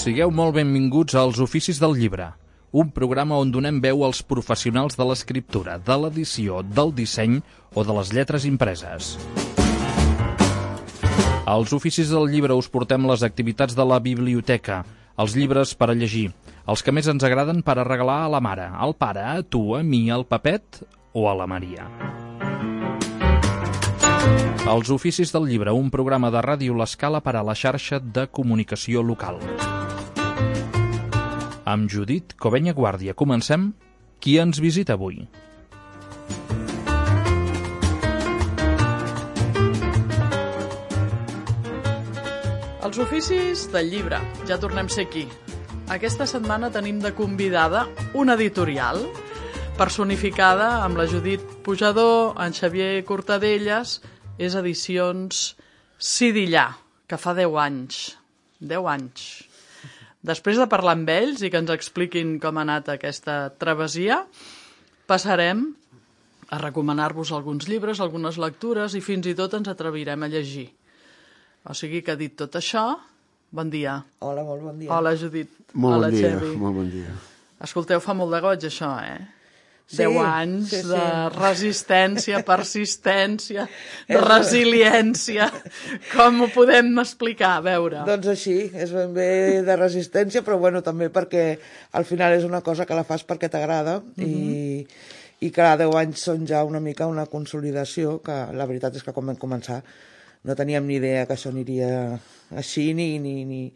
Sigueu molt benvinguts als Oficis del Llibre, un programa on donem veu als professionals de l'escriptura, de l'edició, del disseny o de les lletres impreses. Als Oficis del Llibre us portem les activitats de la biblioteca, els llibres per a llegir, els que més ens agraden per a regalar a la mare, al pare, a tu, a mi, al Pepet o a la Maria. Els Oficis del Llibre, un programa de Ràdio L'Escala per a la xarxa de comunicació local. Amb Judit Covenya Guàrdia comencem. Qui ens visita avui? Els Oficis del Llibre. Ja tornem a ser aquí. Aquesta setmana tenim de convidada una editorial personificada amb la Judit Pujador, en Xavier Cortadellas. És Edicions Sidillà, que fa 10 anys. 10 anys. Després de parlar amb ells i que ens expliquin com ha anat aquesta travessia, passarem a recomanar-vos alguns llibres, algunes lectures i fins i tot ens atrevirem a llegir. O sigui que, dit tot això, bon dia. Hola, molt bon dia. Hola, Judit. Molt Hola, bon dia, Xavi. molt bon dia. Escolteu, fa molt de goig això, Sí, 10 anys sí. de resistència, persistència, de resiliència. Com ho podem explicar? A veure. Doncs així, és ben bé de resistència, però bueno, també perquè al final és una cosa que la fas perquè t'agrada i cada 10 anys són ja una mica una consolidació, que la veritat és que quan vam començar no teníem ni idea que això aniria així ni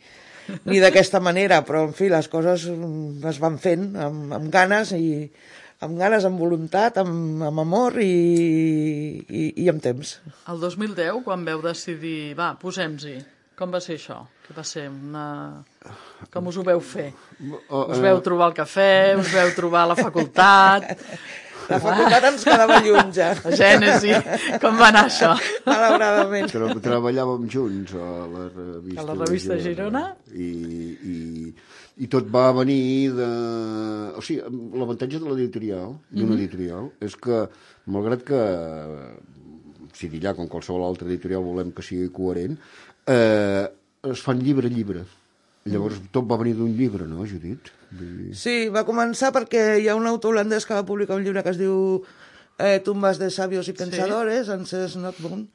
d'aquesta manera, però en fi, les coses es van fent amb ganes amb voluntat, amb amor i amb temps. El 2010, quan veu decidir, va, posem-hi, com va ser això? Què va ser? Com us ho veu fer? Us veu trobar al cafè, us veu trobar a la facultat? La facultat ens quedava lluny ja. La Gènesi, com va anar això? Malauradament. Treballàvem junts a la revista, revista Girona? I tot va venir de... O sigui, l'avantatge de l'editorial, d'una editorial, és que, malgrat que Sidillà, com qualsevol altra editorial, volem que sigui coherent, es fan llibre a llibre. Llavors tot va venir d'un llibre, no, Judit? Sí, va començar perquè hi ha un autor holandès que va publicar un llibre que es diu Tumbas de sabios y pensadores, Ancestors Not Born,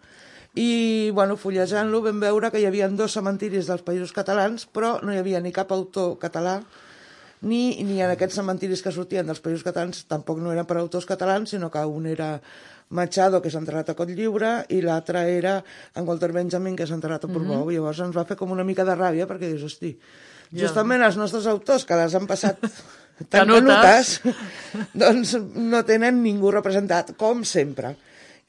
i, bueno, fullejant-lo vam veure que hi havia 2 cementiris dels països catalans, però no hi havia ni cap autor català, ni en aquests cementiris que sortien dels països catalans tampoc no eren per autors catalans, sinó que un era Machado, que s'ha enterrat a Cotlliure, i l'altre era en Walter Benjamin, que s'ha enterrat a Portbou. Llavors ens va fer com una mica de ràbia, perquè dius, hosti, justament els nostres autors, que les han passat tan canutes, doncs no tenen ningú representat, com sempre.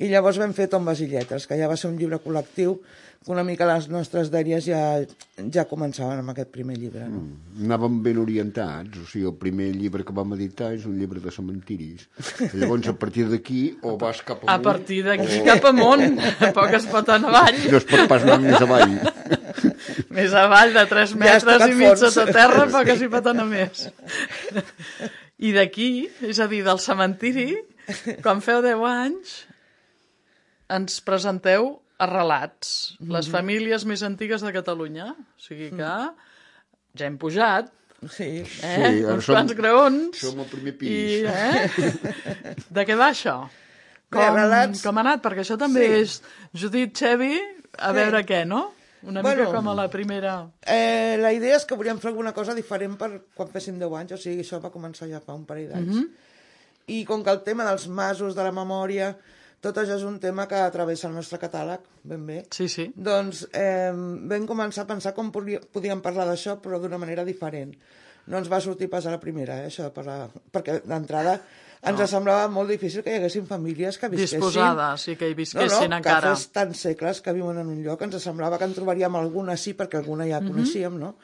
I llavors vam fer Tombes i lletres, que ja va ser un llibre col·lectiu, que una mica les nostres dèries ja començaven amb aquest primer llibre. No? Anàvem ben orientats, o sigui, el primer llibre que vam editar és un llibre de cementiris. Llavors, a partir d'aquí, o vas cap amunt... A partir d'aquí cap amunt, poc es pot anar avall. No es pot pas anar més avall. Més avall de 3 metres i mig sota terra, poc s'hi pot anar més. I d'aquí, és a dir, del cementiri, quan feu 10 anys, ens presenteu a Relats, les famílies més antigues de Catalunya. O sigui que ja hem pujat, Sí. Uns quants graons. Som al primer pis. De què va això? Com ha anat? Perquè això també és Judit, Xavi, a veure què, no? Una mica com a la primera... La idea és que volíem fer alguna cosa diferent per quan féssim 10 anys, o sigui, això va començar ja fa un parell d'anys. I com que el tema dels masos, de la memòria, tot això és un tema que travessa el nostre catàleg, ben bé. Sí. Doncs vam començar a pensar com podíem parlar d'això, però d'una manera diferent. No ens va sortir pas a la primera, això de parlar... Perquè d'entrada ens semblava molt difícil que hi haguessin famílies que visquessin... Disposades, sí, que hi visquessin encara. Que fes tants segles que viuen en un lloc, ens semblava que en trobaríem alguna sí, perquè alguna ja coneixíem, no?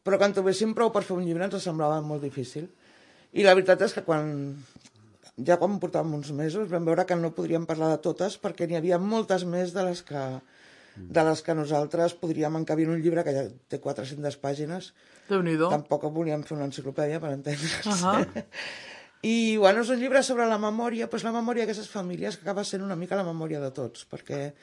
Però que en trobéssim prou per fer un llibre ens semblava molt difícil. I la veritat és que quan portàvem uns mesos vam veure que no podríem parlar de totes perquè n'hi havia moltes més de les que nosaltres podríem encabir en un llibre que ja té 400 pàgines. Déu-n'hi-do. Tampoc volíem fer una enciclopèdia, per entendre's. I, bueno, és un llibre sobre la memòria, doncs la memòria d'aquestes famílies que acaba sent una mica la memòria de tots, perquè,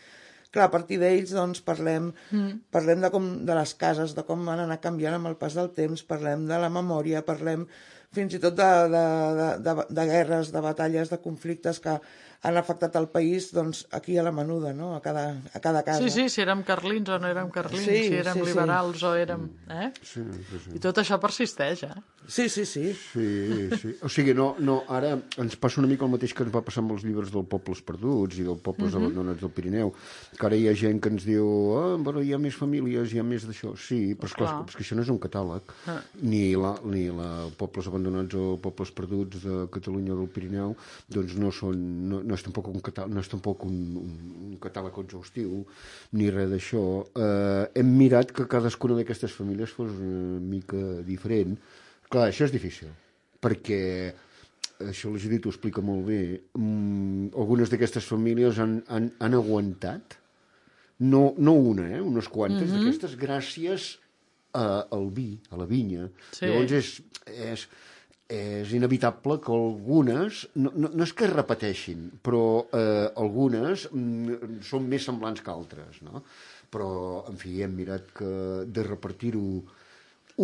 clar, a partir d'ells doncs, parlem de les cases, de com van anar canviant amb el pas del temps, parlem de la memòria, parlem fins i tot de guerres, de batalles, de conflictes que han afectat el país doncs, aquí a la menuda, no? a cada casa. Sí, si érem carlins o no érem carlins, si érem liberals o érem... Sí. I tot això persisteix, Sí. Sí. O sigui, no, ara ens passa una mica el mateix que ens va passar amb els llibres dels pobles perduts i dels pobles abandonats del Pirineu, que ara hi ha gent que ens diu bueno, hi ha més famílies, hi ha més d'això. Sí, però esclar, és que això no és un catàleg. Ni pobles abandonats o pobles perduts de Catalunya o del Pirineu doncs no és tampoc un catàleg exhaustiu ni res d'això. Hem mirat que cadascuna d'aquestes famílies fos una mica diferent. Clar, això és difícil, perquè això la Judit ho explica molt bé. Algunes d'aquestes famílies han aguantat, no una, unes quantes d'aquestes, gràcies al vi, a la vinya. Sí. Llavors és inevitable que algunes, no és que es repeteixin, però algunes són més semblants que altres, no? Però, en fi, hem mirat de repartir-ho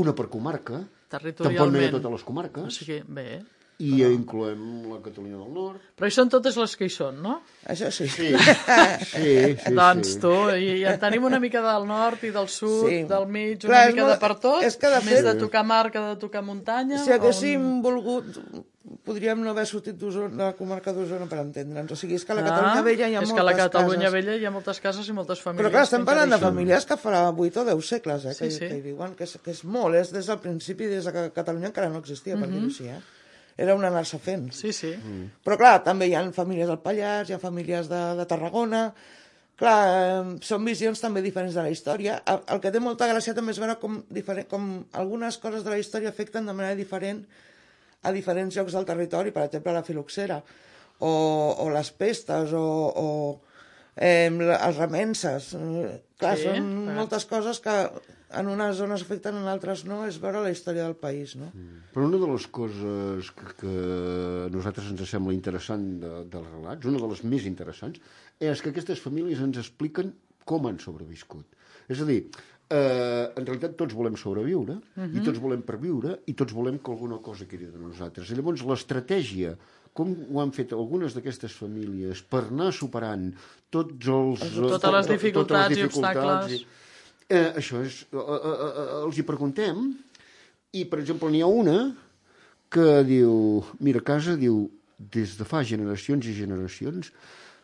una per comarca, tampoc no hi ha totes les comarques, o sigui, bé, i incloem la Catalunya del Nord. Però hi són totes les que hi són, no? Això sí. Sí. Doncs tu, i en tenim una mica del nord i del sud, del mig, una mica de per tot, més de tocar mar que de tocar muntanya. Si haguéssim volgut, podríem no haver sortit de la comarca d'Osona per entendre'ns. O sigui, és que a la Catalunya Vella hi ha moltes cases. És que a la Catalunya Vella hi ha moltes cases i moltes famílies. Però clar, estem parlant de famílies que farà 8 o 10 segles, que hi viuen, que és molt, és des del principi, des que Catalunya encara no existia, per dir-ho així, Era un anar-se fent. Sí. Però clar, també hi ha famílies del Pallars, hi ha famílies de Tarragona. Clar, són visions també diferents de la història. El que té molta gràcia també és veure com algunes coses de la història afecten de manera diferent a diferents llocs del territori, per exemple la filoxera, o les pestes, o els remenses. Clar, són moltes coses que en unes zones afecten, en altres no, és veure la història del país, no? Però una de les coses que a nosaltres ens sembla interessant dels relats, una de les més interessants, és que aquestes famílies ens expliquen com han sobreviscut. És a dir, en realitat tots volem sobreviure, i tots volem perviure, i tots volem que alguna cosa quedi de nosaltres. I llavors l'estratègia, com ho han fet algunes d'aquestes famílies per anar superant totes les dificultats i obstacles. Això és... Els hi preguntem, i, per exemple, n'hi ha una que diu... Mira, a casa, diu, des de fa generacions i generacions,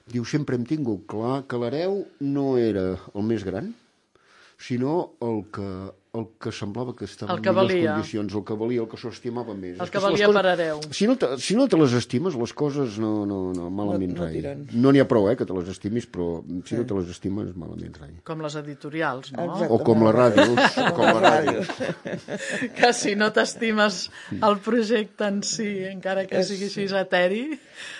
diu, sempre hem tingut clar que l'hereu no era el més gran, sinó el que semblava que estava en millors condicions, el que valia, el que s'ho estimava més. El que valia per hereu. Si no te les estimes, les coses no malament rai. No n'hi ha prou, que te les estimis, però si no te les estimes, malament rai. Com les editorials, no? Exactament. O com les ràdios. Que si no t'estimes el projecte en si, encara que sigui així eteri,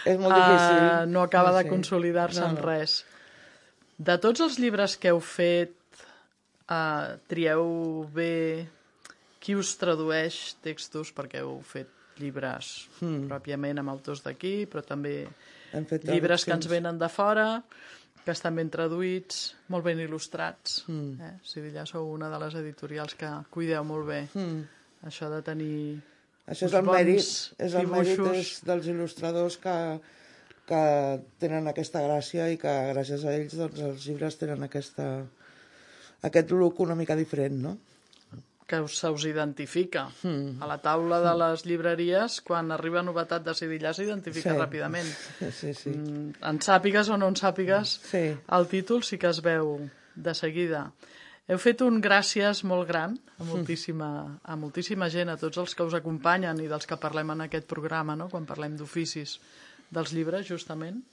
és molt difícil. No acaba de consolidar-se en res. De tots els llibres que heu fet, trieu bé qui us tradueix textos, perquè heu fet llibres pròpiament amb autors d'aquí, però també llibres que ens venen de fora, que estan ben traduïts, molt ben il·lustrats. Si ja sou una de les editorials que cuideu molt bé això de tenir això és el mèrit dels il·lustradors que tenen aquesta gràcia i que gràcies a ells doncs, els llibres tenen aquest look una mica diferent, no? Que se us identifica. A la taula de les llibreries, quan arriba novetat de Sidillà, s'identifica ràpidament. Sí. En sàpigues o no en sàpigues, el títol sí que es veu de seguida. Heu fet un gràcies molt gran a moltíssima gent, a tots els que us acompanyen i dels que parlem en aquest programa, no? Quan parlem d'oficis dels llibres, justament,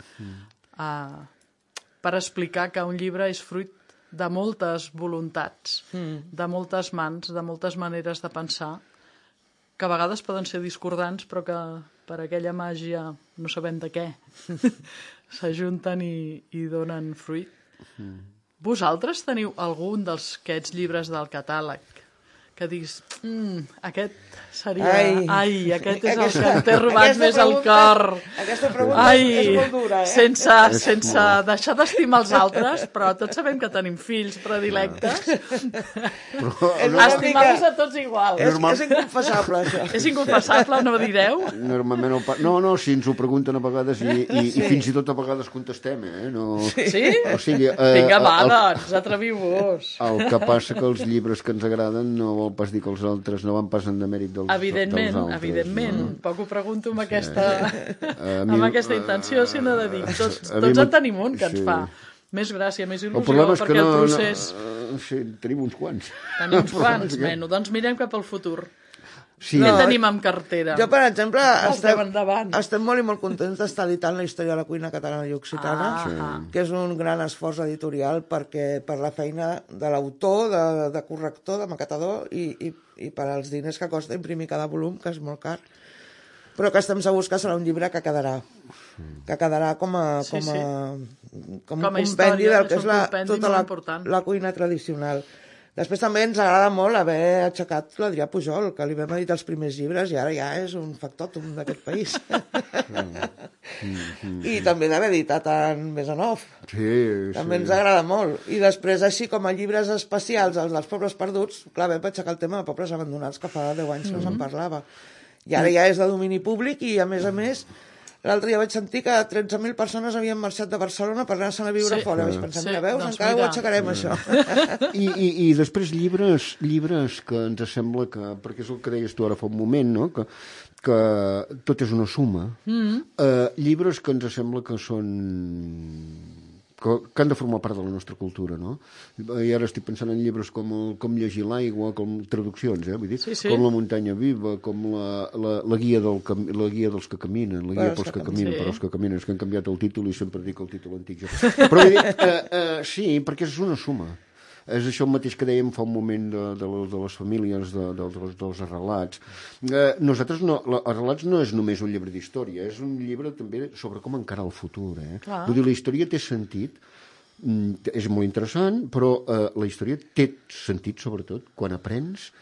per explicar que un llibre és fruit de moltes voluntats, de moltes mans, de moltes maneres de pensar, que a vegades poden ser discordants, però que per aquella màgia, no sabem de què, s'ajunten i donen fruit. Vosaltres teniu algun d'aquests llibres del catàleg que diguis, aquest seria... Ai, aquest és el que em té robat més el cor. Aquesta pregunta és molt dura, Sense deixar d'estimar els altres, però tots sabem que tenim fills predilectes. Estimar-los a tots igual. És inconfessable, això. És inconfessable, no ho direu? Normalment no, si ens ho pregunten a vegades i fins i tot a vegades contestem, No... Sí? O sigui, vinga, va, doncs, atreviu-vos. El que passa que els llibres que ens agraden no vol pas dir que els altres no van pas en demèrit dels altres. Evidentment. Poc ho pregunto amb aquesta intenció, sinó de dir, tots en tenim un que ens fa més gràcia, més il·lusió, perquè el procés... Sí, tenim uns quants. Tenim uns quants, doncs mirem cap al futur. Què tenim en cartera? Jo, per exemple, estem molt i molt contents d'estar editant la història de la cuina catalana i occitana, que és un gran esforç editorial per la feina de l'autor, de corrector, de maquetador i per als diners que costa imprimir cada volum, que és molt car, però que estem segurs que serà un llibre que quedarà com a compendi del que és tota la cuina tradicional. Després també ens agrada molt haver aixecat l'Adrià Pujol, que li vam editar els primers llibres i ara ja és un factòtum d'aquest país. I també d'haver editat en Besanov. També ens agrada molt. I després, així com a llibres especials, els dels pobles perduts, clar, vam aixecar el tema de pobles abandonats, que fa 10 anys no se'n parlava. I ara ja és de domini públic i, a més, l'altre dia vaig sentir que 13.000 persones havien marxat de Barcelona per anar-se'n a viure fora. Vaig pensar, mira, veus, encara ho aixecarem, això. I després llibres que ens sembla que, perquè és el que deies tu ara fa un moment, no? Que tot és una suma. Llibres que ens sembla que són... que han de formar part de la nostra cultura, no? I ara estic pensant en llibres com Llegir l'aigua, com traduccions, vull dir, com La muntanya viva, com la guia dels que caminen, la guia pels que caminen, per als que caminen, és que han canviat el títol i sempre dic el títol antic. Però vull dir, sí, perquè és una suma. És això el mateix que dèiem fa un moment de les famílies, dels arrelats. Nosaltres, Arrelats no és només un llibre d'història, és un llibre també sobre com encarar el futur. Vull dir, la història té sentit, és molt interessant, però la història té sentit, sobretot, quan aprens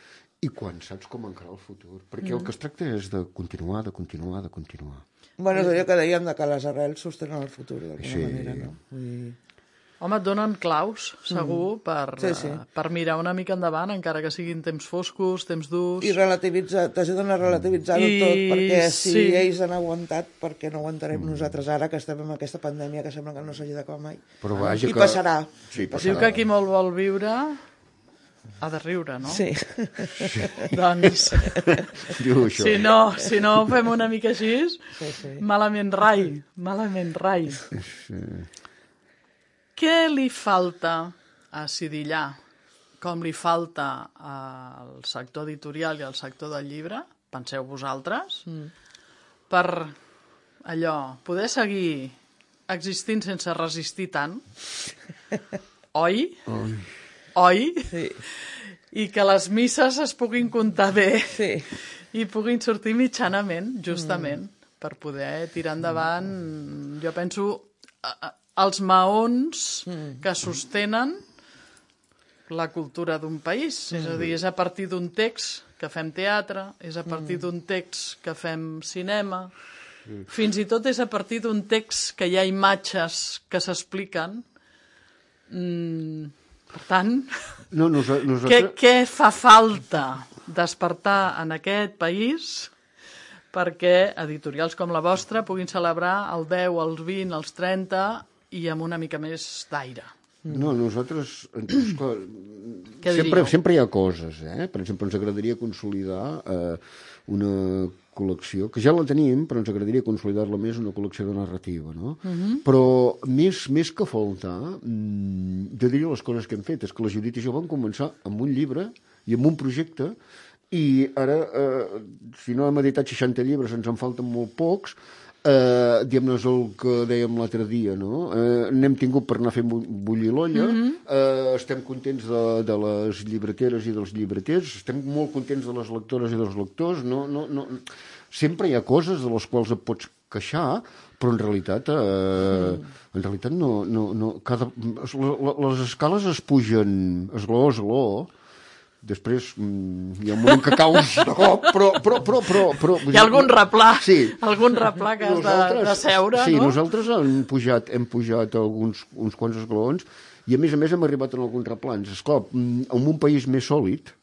i quan saps com encarar el futur. Perquè el que es tracta és de continuar. Bueno, és allò que dèiem que les arrels sostenen el futur, d'alguna manera, no? Home, et donen claus, segur, per mirar una mica endavant, encara que siguin temps foscos, temps durs... I t'ajuden a relativitzar-ho tot, perquè si ells han aguantat, per què no aguantarem nosaltres ara, que estem en aquesta pandèmia que sembla que no s'hagi d'acabar mai? I passarà. Diu que qui molt vol viure ha de riure, no? Sí. Doncs, si no ho fem una mica així, malament rai. Què li falta a Sidillà, com li falta al sector editorial i al sector del llibre, penseu vosaltres, per allò, poder seguir existint sense resistir tant, oi? Sí. I que les misses es puguin comptar bé i puguin sortir mitjanament, justament, per poder tirar endavant, jo penso... els maons que sostenen la cultura d'un país. És a dir, és a partir d'un text que fem teatre, és a partir d'un text que fem cinema, fins i tot és a partir d'un text que hi ha imatges que s'expliquen. Per tant, què fa falta despertar en aquest país perquè editorials com la vostra puguin celebrar el 10, els 20, els 30... i amb una mica més d'aire. No, nosaltres... sempre hi ha coses, Per exemple, ens agradaria consolidar una col·lecció, que ja la tenim, però ens agradaria consolidar-la més, una col·lecció de narrativa, no? Però més que faltar, jo diria les coses que hem fet, és que la Judit i jo vam començar amb un llibre i amb un projecte, i ara, si no hem editat 60 llibres, ens en falten molt pocs, diguem-ne el que dèiem l'altre dia, no? N'hem tingut per anar fent bullir l'olla, estem contents de les llibreteres i dels llibreters, estem molt contents de les lectores i dels lectors, sempre hi ha coses de les quals et pots queixar, però en realitat les escales es pugen esglaó a esglaó, Després hi ha un moment que caus de cop, però... Hi ha algun replà, sí. algun replà que has de seure, sí, no? Nosaltres hem pujat uns quants esglaons i, a més, hem arribat en alguns replans. Esclar, en un país més sòlid,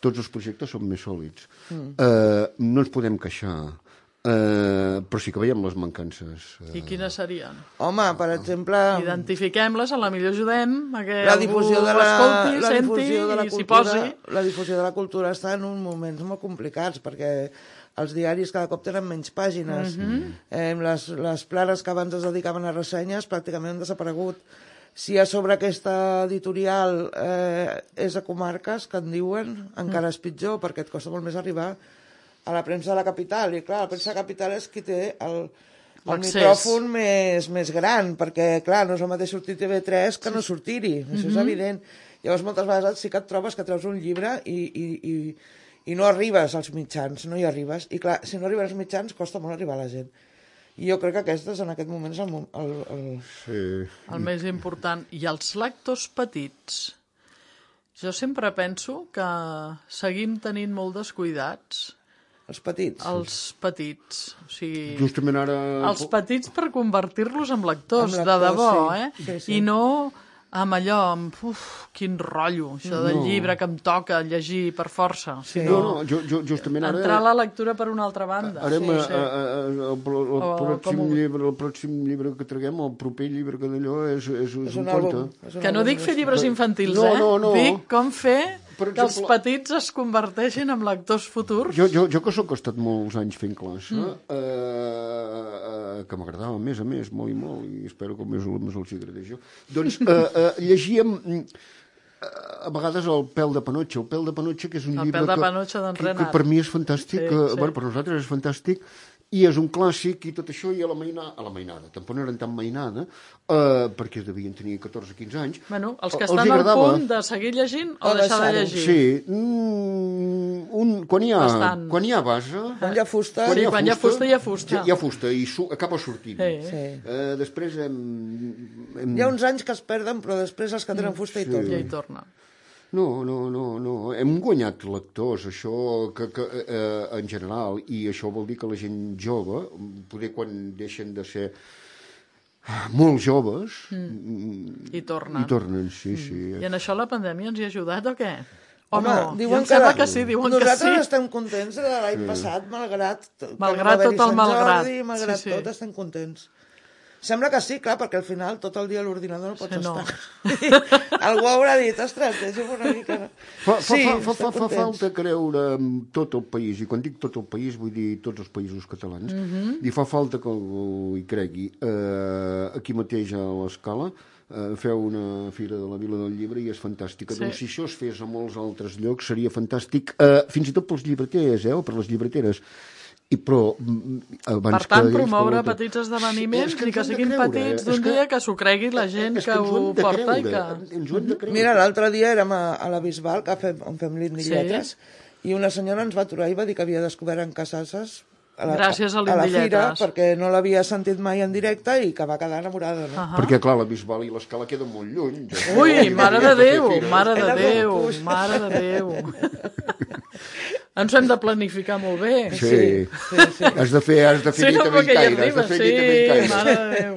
tots els projectes són més sòlids. No ens podem queixar. Però sí que veiem les mancances. I quines serien? Home, per exemple... Identifiquem-les, a la millor ajudem a que la difusió algú de la, escolti, la senti difusió de la i s'hi cultura, posi. la difusió de la cultura està en uns moments molt complicats, perquè els diaris cada cop tenen menys pàgines. Les planes que abans es dedicaven a ressenyes pràcticament han desaparegut. Si a sobre aquesta editorial és a comarques, que en diuen, encara és pitjor, perquè et costa molt més arribar a la premsa de la capital. I clar, la premsa de la capital és qui té el micròfon més gran, perquè clar, no és el mateix sortir TV3 que no sortir-hi, això és evident. Llavors moltes vegades sí que et trobes que treus un llibre i no arribes als mitjans, no hi arribes. I clar, si no arribes als mitjans costa molt arribar a la gent. I jo crec que aquest en aquest moment és el més important. I els lectors petits? Jo sempre penso que seguim tenint molt descuidats. Els petits. Els petits. O sigui, justament ara... Els petits per convertir-los en lectors, de debò, sí. I no amb allò, quin rotllo, això del llibre que em toca llegir per força. Sí. No, justament ara... Entrar a la lectura per una altra banda. Ara el pròxim llibre que traguem, el proper llibre que d'allò és un conte. Que no dic fer llibres infantils, No. Dic com fer per que els petits es converteixin en lectors futurs. Jo que sóc estat molts anys fent classe, que m'agradava més a més, molt i molt, i espero que els meus alumnes els agradeix jo. Doncs llegíem a vegades el Pèl de Panotxa. El Pèl de Panotxa, que és un llibre que per mi és fantàstic, per nosaltres és fantàstic, i és un clàssic i tot això, i a la mainada, tampoc no eren tan mainada, perquè devien tenir 14-15 anys. Bueno, els que estan al punt de seguir llegint o deixar de llegir. Sí, quan hi ha base... Quan hi ha fusta. Quan hi ha fusta, hi ha fusta. Hi ha fusta i acaba sortint. Després hi ha uns anys que es perden, però després els que tenen fusta hi tornen. Ja hi torna. No. Hem guanyat lectors, això que en general, i això vol dir que la gent jove, poder quan deixen de ser molt joves... I tornen. Sí. I en això la pandèmia ens hi ha ajudat o què? O home, no? Diuen que sí, diuen que sí. Nosaltres estem contents de l'any passat, malgrat tot el malgrat. Malgrat tot, estem contents. Sembla que sí, clar, perquè al final tot el dia a l'ordinador no pots estar. Algú haurà dit, ostres, deixa'm una mica... Fa falta creure en tot el país, i quan dic tot el país vull dir tots els països catalans, i fa falta que algú hi cregui. Aquí mateix a l'Escala feu una fira de la Vila del Llibre i és fantàstica. Doncs si això es fes a molts altres llocs seria fantàstic, fins i tot pels llibreters, o per les llibreteres. Per tant, promoure petits esdeveniments i que siguin petits d'un dia, que s'ho cregui la gent que ho porta i que... Mira, l'altre dia érem a la Bisbal, on fem l'Indilletres, i una senyora ens va aturar i va dir que havia descobert en Casasses gràcies a la fira, perquè no l'havia sentit mai en directe i que va quedar enamorada. No? Perquè, clar, la Bisbal i l'Escala queden molt lluny. Ui, mare de Déu! Ens ho hem de planificar molt bé. Sí. Has de fer nit a Bellcaire. Mare de Déu.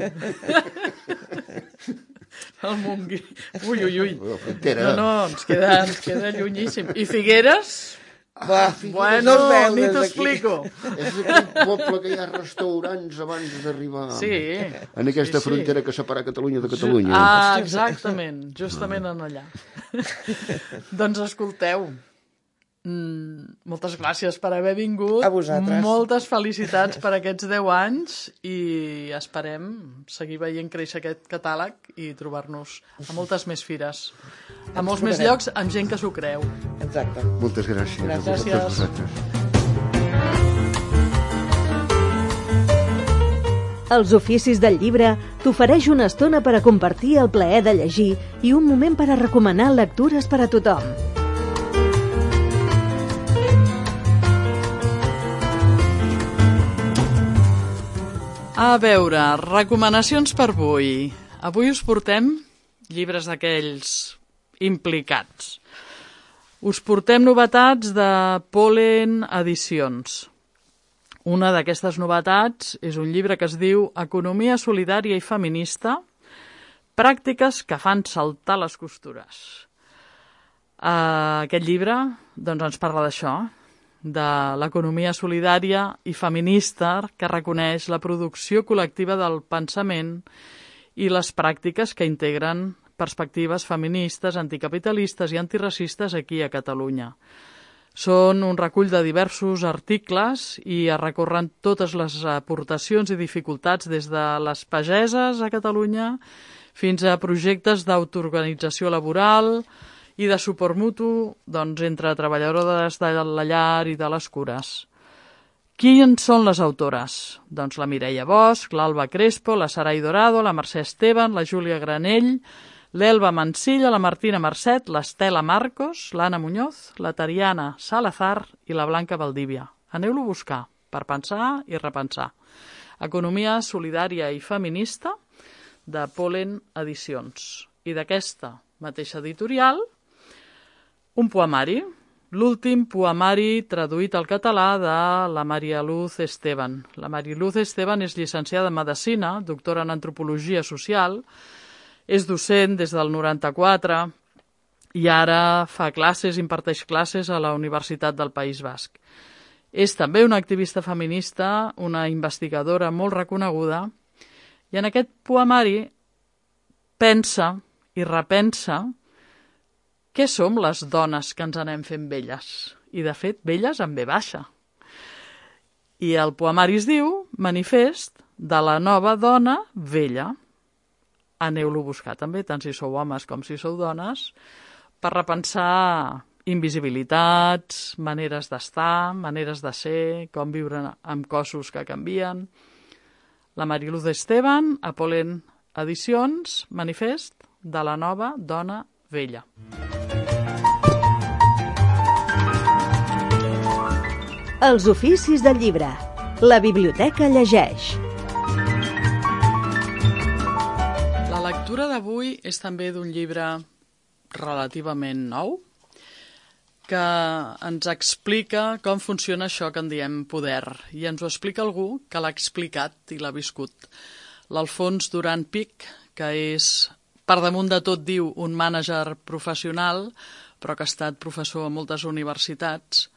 El Montgrí. Ui. No, ens queda llunyíssim. I Figueres? Bueno, ni t'explico. És aquell poble que hi ha restaurants abans d'arribar. Sí. En aquesta frontera que separa Catalunya de Catalunya. Exactament, justament en allà. Doncs escolteu, moltes gràcies per haver vingut. A vosaltres. Moltes felicitats per aquests 10 anys i esperem seguir veient créixer aquest catàleg i trobar-nos a moltes més fires, a molts més llocs, amb gent que s'ho creu. Exacte. Moltes gràcies. Gràcies. Els Oficis del Llibre t'ofereix una estona per a compartir el plaer de llegir i un moment per a recomanar lectures per a tothom. A veure, recomanacions per avui. Avui us portem llibres d'aquells implicats. Us portem novetats de Pollen Edicions. Una d'aquestes novetats és un llibre que es diu Economia solidària i feminista, pràctiques que fan saltar les costures. Aquest llibre ens parla d'això, de l'economia solidària i feminista que reconeix la producció col·lectiva del pensament i les pràctiques que integren perspectives feministes, anticapitalistes i antiracistes aquí a Catalunya. Són un recull de diversos articles i recorren totes les aportacions i dificultats des de les pageses a Catalunya fins a projectes d'autoorganització laboral i de suport mutu entre treballadores de la llar i de les cures. Quins són les autores? Doncs la Mireia Bosch, l'Alba Crespo, la Sarai Dorado, la Mercè Esteban, la Júlia Granell, l'Elba Mansilla, la Martina Marcet, l'Estela Marcos, l'Anna Muñoz, la Tariana Salazar i la Blanca Valdívia. Aneu-lo a buscar per pensar i repensar. Economia solidària i feminista de Pollen Edicions. I d'aquesta mateixa editorial, un poemari, l'últim poemari traduït al català de la Maria Luz Esteban. La Maria Luz Esteban és llicenciada en Medicina, doctora en Antropologia Social, és docent des del 94 i ara fa classes, imparteix classes a la Universitat del País Basc. És també una activista feminista, una investigadora molt reconeguda, i en aquest poemari pensa i repensa què som les dones que ens anem fent velles, i de fet velles amb V baixa. I el poemari es diu Manifest de la nova dona vella. Aneu-lo a buscar també, tant si sou homes com si sou dones, per repensar invisibilitats, maneres d'estar, maneres de ser, com viure amb cossos que canvien. La Mariluz Esteban, a Pollen Edicions, Manifest de la nova dona vella. Els oficis del llibre. La biblioteca llegeix. La lectura d'avui és també d'un llibre relativament nou que ens explica com funciona això que en diem poder, i ens ho explica algú que l'ha explicat i l'ha viscut. L'Alfons Duran Pic, que és, per damunt de tot diu, un mànager professional, però que ha estat professor a moltes universitats,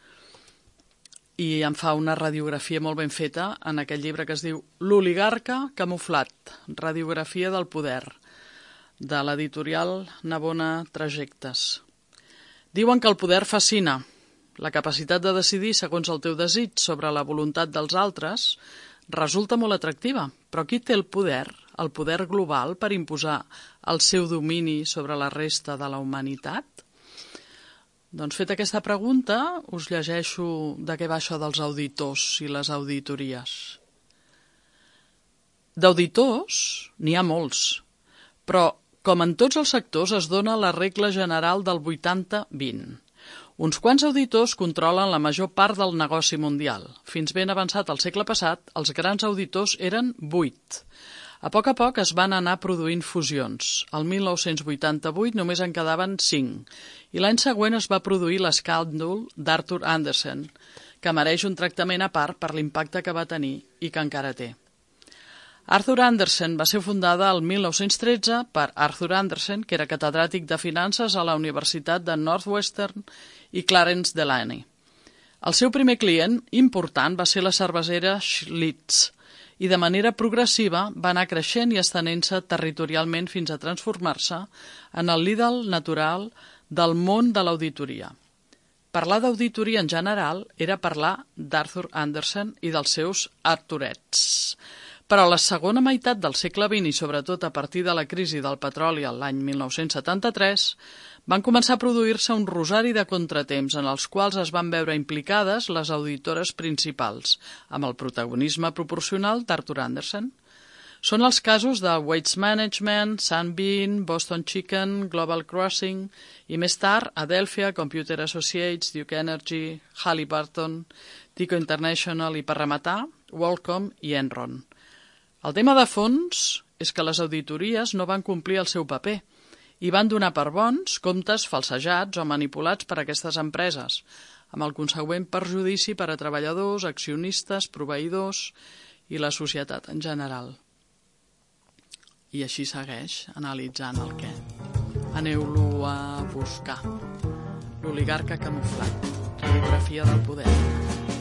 i en fa una radiografia molt ben feta en aquest llibre que es diu L'oligarca camuflat, radiografia del poder, de l'editorial Navona Trajectes. Diuen que el poder fascina. La capacitat de decidir segons el teu desig sobre la voluntat dels altres resulta molt atractiva, però qui té el poder global per imposar el seu domini sobre la resta de la humanitat? Doncs feta aquesta pregunta, us llegeixo de què va això dels auditors i les auditories. D'auditors n'hi ha molts, però com en tots els sectors es dona la regla general del 80-20. Uns quants auditors controlen la major part del negoci mundial. Fins ben avançat al segle passat, els grans auditors eren 8. A poc es van anar produint fusions. El 1988 només en quedaven 5, i l'any següent es va produir l'escàndol d'Arthur Andersen, que mereix un tractament a part per l'impacte que va tenir i que encara té. Arthur Andersen va ser fundada el 1913 per Arthur Andersen, que era catedràtic de finances a la Universitat de Northwestern, i Clarence Delaney. El seu primer client important va ser la cervesera Schlitz, i de manera progressiva va anar creixent i estenent-se territorialment fins a transformar-se en el líder natural del món de l'auditoria. Parlar d'auditoria en general era parlar d'Arthur Andersen i dels seus Arturets. Però a la segona meitat del segle XX i sobretot a partir de la crisi del petroli l'any 1973 van començar a produir-se un rosari de contratemps en els quals es van veure implicades les auditores principals, amb el protagonisme proporcional d'Arthur Andersen. Són els casos de Waste Management, Sunbeam, Boston Chicken, Global Crossing i més tard Adelphia, Computer Associates, Duke Energy, Halliburton, Tico International i per rematar WorldCom i Enron. El tema de fons és que les auditories no van complir el seu paper i van donar per bons comptes falsejats o manipulats per aquestes empreses, amb el consegüent perjudici per a treballadors, accionistes, proveïdors i la societat en general. I així segueix analitzant el què. Aneu-lo a buscar. L'oligarca camuflat. Geografia del poder.